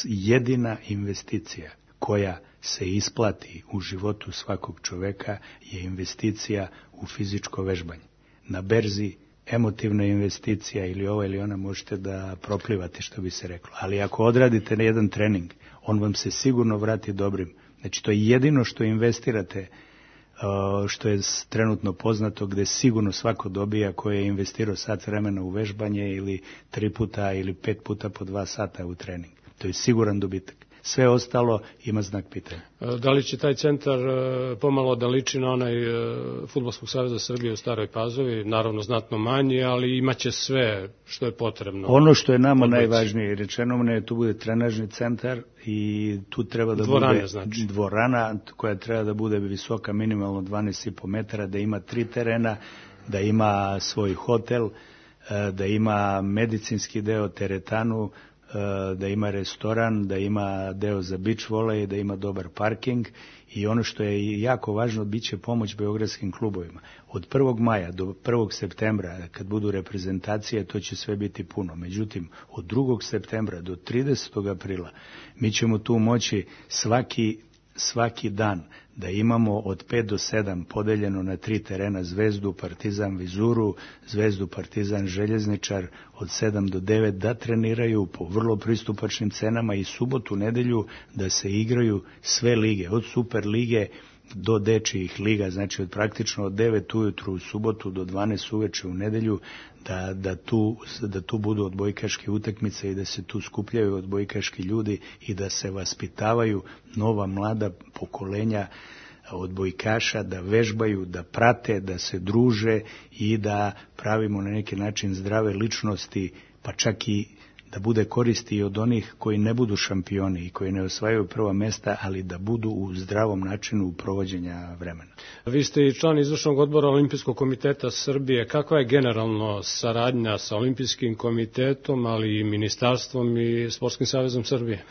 Jedina investicija koja se isplati u životu svakog čoveka je investicija u fizičko vežbanje. Na berzi emotivna investicija ili ova ili ona možete da proplivate, što bi se reklo. Ali ako odradite na jedan trening, on vam se sigurno vrati dobrim. Znači, to je jedino što investirate, što je trenutno poznato, gde sigurno svako dobija koji je investirao sat vremena u vežbanje ili tri puta ili pet puta po dva sata u trening. To je siguran dobitak. Sve ostalo ima znak pitanja. Da li će taj centar pomalo da liči na onaj Fudbalskog saveza Srbije u Staroj Pazovi? Naravno znatno manji, ali imaće sve što je potrebno. Ono što je nama odliči. Najvažnije rečeno nam je tu bude trenažni centar i tu treba da dvorane, bude znači. dvorana koja treba da bude visoka minimalno dvanaest i po metara, da ima tri terena, da ima svoj hotel, da ima medicinski deo, teretanu, da ima restoran, da ima deo za beach volley, da ima dobar parking i ono što je jako važno, bit će pomoć beogradskim klubovima. Od prvog maja do prvog septembra, kad budu reprezentacije, to će sve biti puno. Međutim, od drugog septembra do tridesetog aprila mi ćemo tu moći svaki svaki dan da imamo od pet do sedam podeljeno na tri terena Zvezdu, Partizan, Vizuru, Zvezdu, Partizan, Željezničar, od sedam do devet da treniraju po vrlo pristupačnim cenama i subotu, nedelju da se igraju sve lige, od Super lige do dečijih liga, znači od praktično od devet ujutru u subotu do dvanaest uveče u nedelju, da, da, tu, da tu budu odbojkaške utakmice i da se tu skupljaju odbojkaški ljudi i da se vaspitavaju nova mlada pokolenja odbojkaša, da vežbaju, da prate, da se druže i da pravimo na neki način zdrave ličnosti, pa čak i da bude koristi i od onih koji ne budu šampioni i koji ne osvajaju prva mesta, ali da budu u zdravom načinu provođenja vremena. Vi ste i član izvršnog odbora Olimpijskog komiteta Srbije. Kakva je generalno saradnja sa Olimpijskim komitetom, ali i ministarstvom i Sportskim savezom Srbije?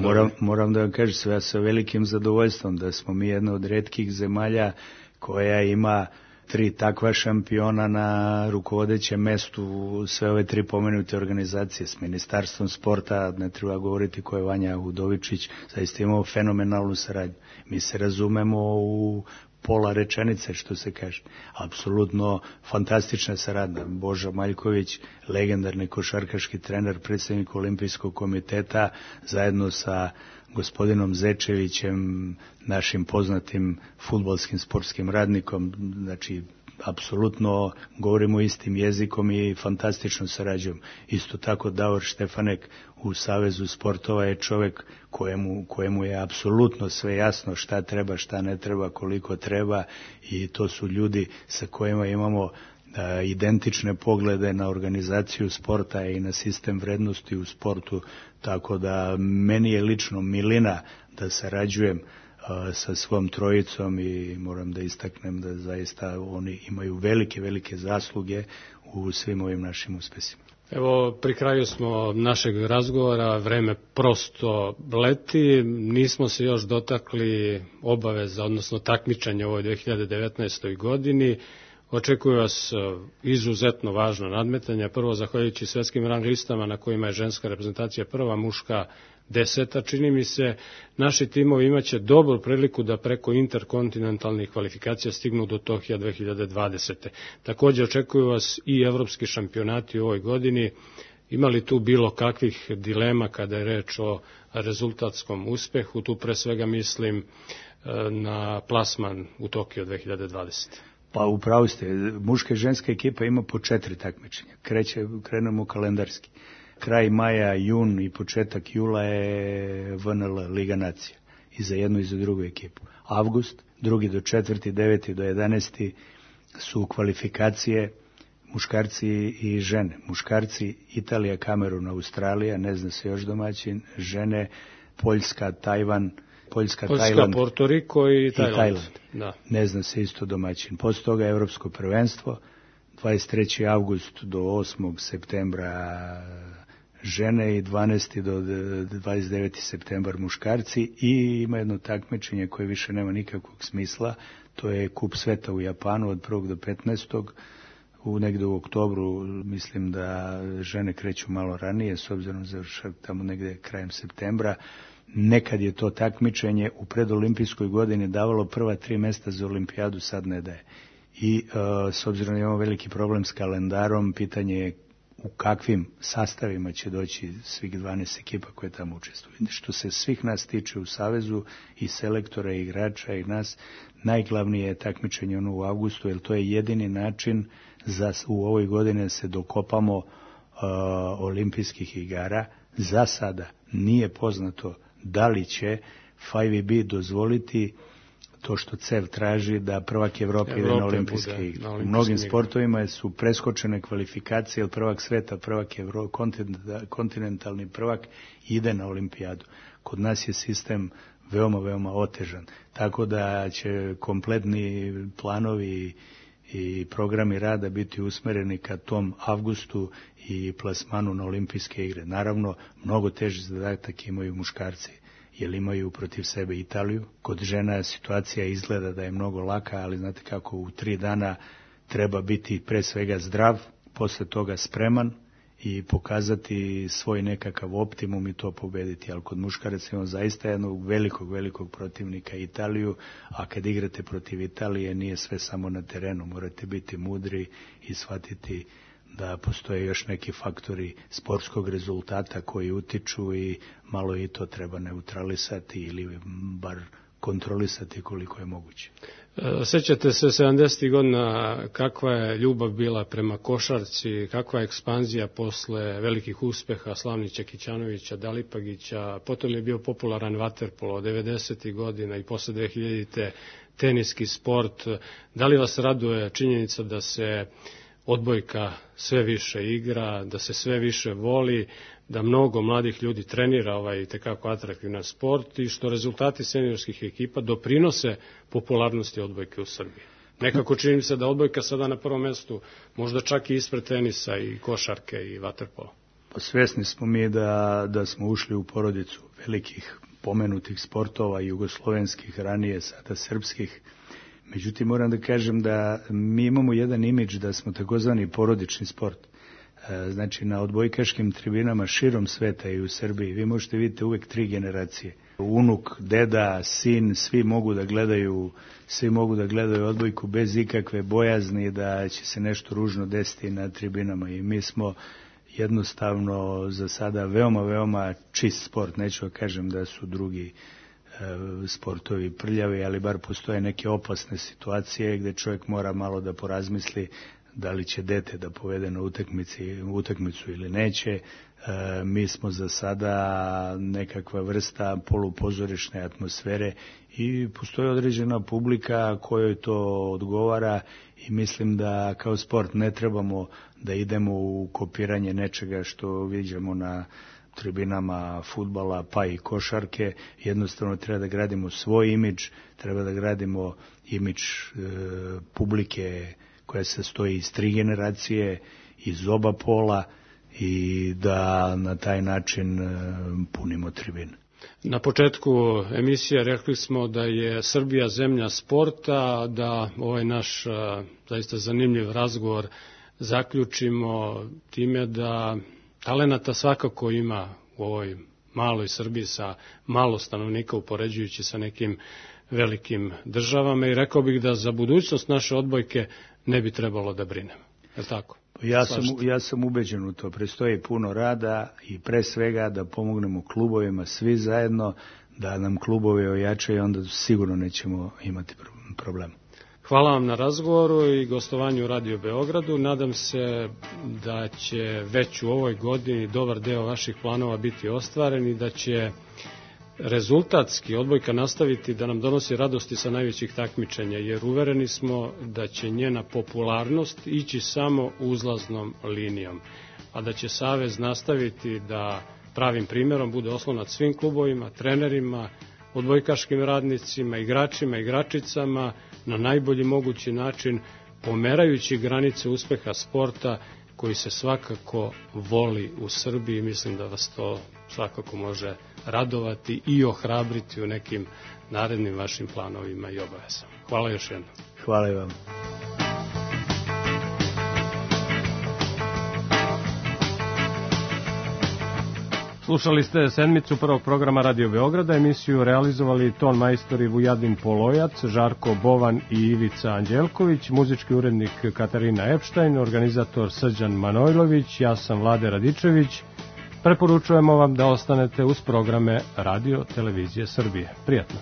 Moram, moram da vam kažem sve sa velikim zadovoljstvom da smo mi jedna od retkih zemalja koja ima tri takva šampiona na rukovodećem mestu sve ove tri pomenute organizacije. S Ministarstvom sporta, ne treba govoriti ko je Vanja Udovičić, zaista imamo fenomenalnu saradnju. Mi se razumemo u pola rečenice, što se kaže. Apsolutno fantastična saradnja. Boža Maljković, legendarni košarkaški trener, predsjednik Olimpijskog komiteta, zajedno sa gospodinom Zečevićem, našim poznatim fudbalskim sportskim radnikom, znači apsolutno govorimo istim jezikom i fantastično sarađujemo. Isto tako Davor Štefanek u Savezu sportova je čovjek kojemu, kojemu je apsolutno sve jasno šta treba, šta ne treba, koliko treba i to su ljudi sa kojima imamo identične poglede na organizaciju sporta i na sistem vrednosti u sportu, tako da meni je lično milina da sarađujem sa svom trojicom i moram da istaknem da zaista oni imaju velike, velike zasluge u svim ovim našim uspesima. Evo, pri kraju smo našeg razgovora, vreme prosto leti, nismo se još dotakli obaveza, odnosno takmičanja u ovoj dve hiljade devetnaestoj godini. Očekuju vas izuzetno važno nadmetanja, prvo zahvaljujući svetskim rang listama na kojima je ženska reprezentacija prva, muška deseta, čini mi se, naši timovi imaće dobru priliku da preko interkontinentalnih kvalifikacija stignu do Tokija dve hiljade dvadesete. Također očekuju vas i evropski šampionati u ovoj godini. Ima li tu bilo kakvih dilema kada je reč o rezultatskom uspehu? Tu pre svega mislim na plasman u Tokio dve hiljade dvadesete. Pa upravo ste, muška i ženska ekipa ima po četiri takmičenja. Kreće, krenemo kalendarski. Kraj maja, jun i početak jula je V N L, Liga nacija. I za jednu i za drugu ekipu. Avgust, drugi do četvrti, deveti do jedanaesti su kvalifikacije muškarci i žene. Muškarci Italija, Kamerun, Australija, ne zna se još domaćin, žene Poljska, Tajvan, Poljska, Poljska, Tajland, Portoriko i Tajland. I Tajland. Da. Ne zna se isto domaćin. Posle toga Evropsko prvenstvo, dvadeset treći avgust do osmog septembra žene i dvanaesti do dvadeset deveti septembar muškarci i ima jedno takmičenje koje više nema nikakvog smisla, to je Kup sveta u Japanu od prvog do petnaestog u negde u oktobru, mislim da žene kreću malo ranije, s obzirom za tamo negde krajem septembra. Nekad je to takmičenje u predolimpijskoj godini davalo prva tri mesta za olimpijadu, sad ne daje. I uh, s obzirom da imamo veliki problem s kalendarom, pitanje je u kakvim sastavima će doći svih dvanaest ekipa koje tamo učestvuju. Što se svih nas tiče u Savezu, i selektora, i igrača, i nas, najglavnije je takmičenje ono u avgustu, jer to je jedini način za u ovoj godini da se dokopamo uh, olimpijskih igara. Za sada nije poznato da li će F I V B dozvoliti to što C E V traži da prvak Evrope ide na olimpijske igre. U mnogim sportovima su preskočene kvalifikacije, jer prvak sveta, prvak Evro, kontinentalni prvak ide na olimpijadu. Kod nas je sistem veoma, veoma otežan. Tako da će kompletni planovi i programi rada biti usmereni ka tom avgustu i plasmanu na olimpijske igre. Naravno, mnogo teži zadatak imaju muškarci, jer imaju protiv sebe Italiju. Kod žena situacija izgleda da je mnogo laka, ali znate kako u tri dana treba biti pre svega zdrav, posle toga spreman i pokazati svoj nekakav optimum i to pobediti. Ali kod muškaraca imamo zaista jednog velikog, velikog protivnika Italiju, a kad igrate protiv Italije nije sve samo na terenu. Morate biti mudri i shvatiti da postoje još neki faktori sportskog rezultata koji utiču i malo i to treba neutralisati ili bar kontrolisati koliko je moguće. Sećate se sedamdesetih godina kakva je ljubav bila prema košarci, kakva je ekspanzija posle velikih uspeha Slavnića, Kićanovića, Dalipagića, potom je bio popularan vaterpolo devedesetih godina i posle dve hiljadite teniski sport. Da li vas raduje činjenica da se odbojka sve više igra, da se sve više voli, da mnogo mladih ljudi trenira ovaj tekako atraktivan sport i što rezultati seniorskih ekipa doprinose popularnosti odbojke u Srbiji? Nekako čini se da odbojka sada na prvom mestu, možda čak i ispred tenisa i košarke i vaterpola. Pa svesni smo mi da, da smo ušli u porodicu velikih pomenutih sportova, jugoslovenskih, ranije sada srpskih. Međutim, moram da kažem da mi imamo jedan imidž da smo takozvani porodični sport. Znači, na odbojkaškim tribinama širom sveta i u Srbiji vi možete vidjeti uvek tri generacije. Unuk, deda, sin, svi mogu da gledaju, svi mogu da gledaju odbojku bez ikakve bojazni da će se nešto ružno desiti na tribinama. I mi smo jednostavno za sada veoma, veoma čist sport. Neću da kažem da su drugi sportovi prljavi, ali bar postoje neke opasne situacije gde čovjek mora malo da porazmisli da li će dete da povede na utakmici, utakmicu ili neće. E, mi smo za sada nekakva vrsta polupozorišne atmosfere i postoji određena publika kojoj to odgovara i mislim da kao sport ne trebamo da idemo u kopiranje nečega što viđamo na tribinama fudbala pa i košarke. Jednostavno treba da gradimo svoj imidž, treba da gradimo imidž e, publike koja se stoji iz tri generacije, iz oba pola i da na taj način e, punimo tribine. Na početku emisije rekli smo da je Srbija zemlja sporta, da ovaj naš a, zaista zanimljiv razgovor zaključimo time da talenata svakako ima u ovoj maloj Srbiji sa malo stanovnika upoređujući sa nekim velikim državama i rekao bih da za budućnost naše odbojke ne bi trebalo da brinemo. Je li tako? Ja sam, ja sam ubeđen u to. Prestoji puno rada i pre svega da pomognemo klubovima svi zajedno, da nam klubovi ojačaju, onda sigurno nećemo imati problema. Hvala vam na razgovoru i gostovanju u Radio Beogradu. Nadam se da će već u ovoj godini dobar deo vaših planova biti ostvaren i da će rezultatski odbojka nastaviti da nam donosi radosti sa najvećih takmičenja, jer uvereni smo da će njena popularnost ići samo uzlaznom linijom, a da će Savez nastaviti da pravim primjerom bude oslonac svim klubovima, trenerima, odbojkaškim radnicima, igračima, igračicama, na najbolji mogući način, pomerajući granice uspeha sporta koji se svakako voli u Srbiji. Mislim da vas to svakako može radovati i ohrabriti u nekim narednim vašim planovima i obavezama. Hvala još jednom. Hvala i vam. Slušali ste sedmicu prvog programa Radio Beograda, emisiju realizovali ton majstori Vujadin Polojac, Žarko Bovan i Ivica Anđelković, muzički urednik Katarina Epštajn, organizator Srđan Manojlović, ja sam Vlade Radičević. Preporučujemo vam da ostanete uz programe Radio Televizije Srbije. Prijatno.